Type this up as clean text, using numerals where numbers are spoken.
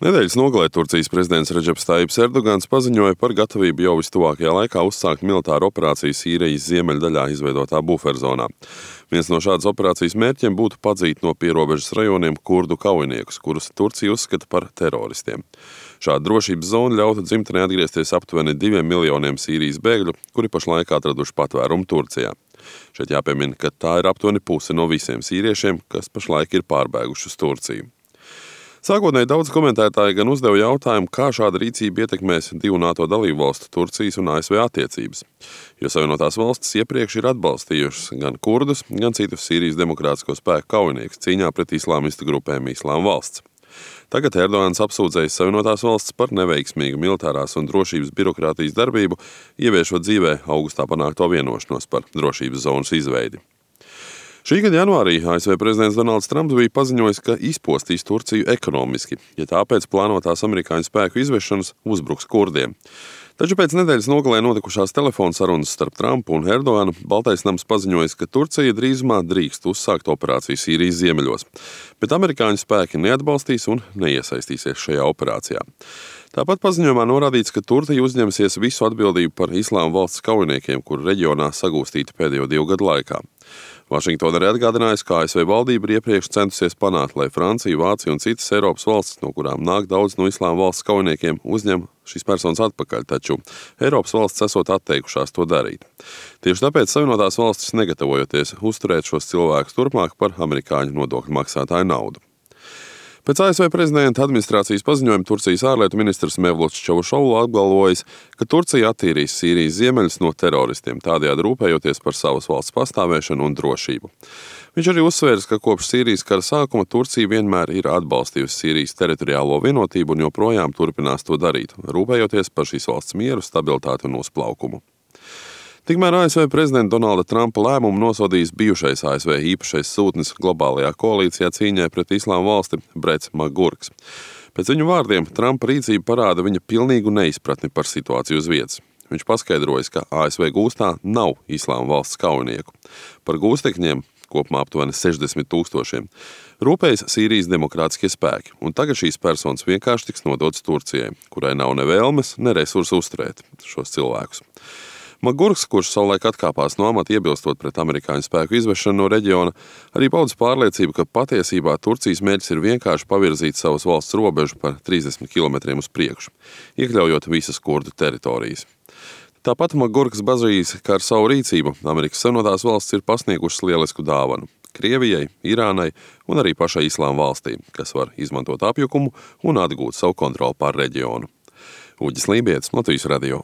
Nedēļas nogalē Turcijas prezidents Redžeps Tajibs Erdogans paziņoja par gatavību jau vistuvākajā laikā uzsākt militāru operāciju Sīrijas ziemeļdaļā izveidotā buferzonā. Viens no šādas operācijas mērķiem būtu padzīt no pierobežas rajoniem kurdu kaujiniekus, kurus Turcija uzskata par teroristiem. Šāda drošības zona ļautu dzimtenē atgriezties aptuveni 2 miljoniem Sīrijas bēgļu, kuri pašlaik atraduši patvērumu Turcijā. Šeit jāpiemina, ka tā ir aptuveni puse no visiem sīriešiem, kas pašlaik ir pārbēguši uz Turciju. Sākotnēji daudz komentētāji gan uzdeva jautājumu, kā šāda rīcība ietekmēs divu NATO dalību valstu Turcijas un ASV attiecības, jo Savienotās valstis iepriekš ir atbalstījušas gan kurdus, gan citus Sīrijas demokrātisko spēku kaujiniekus cīņā pret islāmistu grupēm Islāma valsts. Tagad Erdogans apsūdzējis Savienotās valstis par neveiksmīgu militārās un drošības birokrātijas darbību, ieviešot dzīvē augustā panākto vienošanos par drošības zonas izveidi. Šī gada janvārī ASV prezidents Donalds Trumps bija paziņojis, ka izpostīs Turciju ekonomiski, ja tāpēc plānotās amerikāņu spēku izvešanas uzbruks kurdiem. Taču pēc nedēļas nogalē notikušās telefona sarunas starp Trumpu un Erdoganu Baltais nams paziņojis, ka Turcija drīzumā drīkst uzsākt operāciju Sīrijas ziemeļos, bet amerikāņu spēki neatbalstīs un neiesaistīsies šajā operācijā. Tāpat paziņojumā norādīts, ka Turcija uzņemsies visu atbildību par Islāma valsts kaujiniekiem, kuru reģionā sagūstīti pēdējo 2 gadu laikā. Vašingtona arī atgādinājusi, ka ASV valdība ir iepriekš centusies panākt, lai Francija, Vācija un citas Eiropas valstis, no kurām nāk daudz no Islāma valsts kaujiniekiem, uzņem šīs personas atpakaļ, taču Eiropas valstis esot atteikušās to darīt. Tieši tāpēc Savienotās valstis negatavojoties uzturēt šos cilvēkus turpmāk par amerikāņu nodokļu maksātāju naudu. Pēc ASV prezidenta administrācijas paziņojuma Turcijas ārlietu ministrs Mevluts Čavušoglu apgalvojis, ka Turcija attīrīs Sīrijas ziemeļus no teroristiem, tādējādi rūpējoties par savas valsts pastāvēšanu un drošību. Viņš arī uzsvērs, ka kopš Sīrijas kara sākuma Turcija vienmēr ir atbalstījusi Sīrijas teritoriālo vienotību un joprojām turpinās to darīt, rūpējoties par šīs valsts mieru, stabilitāti un uzplaukumu. Tikmēr ASV prezidenta Donalda Trumpa lēmumu nosodījis bijušais ASV īpašais sūtnis globālajā koalīcijā cīņai pret Islāma valsti Brets Magurks. Pēc viņu vārdiem Trumpa rīcība parāda viņa pilnīgu neizpratni par situāciju uz vietas. Viņš paskaidrojas, ka ASV gūstā nav Islāma valsts kaujinieku. Par gūstekņiem, kopumā aptuveni 60 000, rūpējas Sīrijas demokrātiskie spēki, un tagad šīs personas vienkārši tiks nodotas Turcijai, kurai nav ne vēlmes, ne resursu uzturēt šos cilvēkus. Magurks, kurš savulaik atkāpās no amata iebilstot pret amerikāņu spēku izvešanu no reģiona, arī pauda pārliecību, ka patiesībā Turcijas mērķis ir vienkārši pavirzīt savas valsts robežu par 30 km uz priekšu, iekļaujot visas kurdu teritorijas. Tāpat Magurks bažīs, ka ar savu rīcību Amerikas Savienotās valstis ir pasniegušas lielisku dāvanu Krievijai, Irānai un arī pašai Islāma valstī, kas var izmantot apjukumu un atgūt savu kontroli pār reģionu. Uģis Lībietis, Latvijas radio.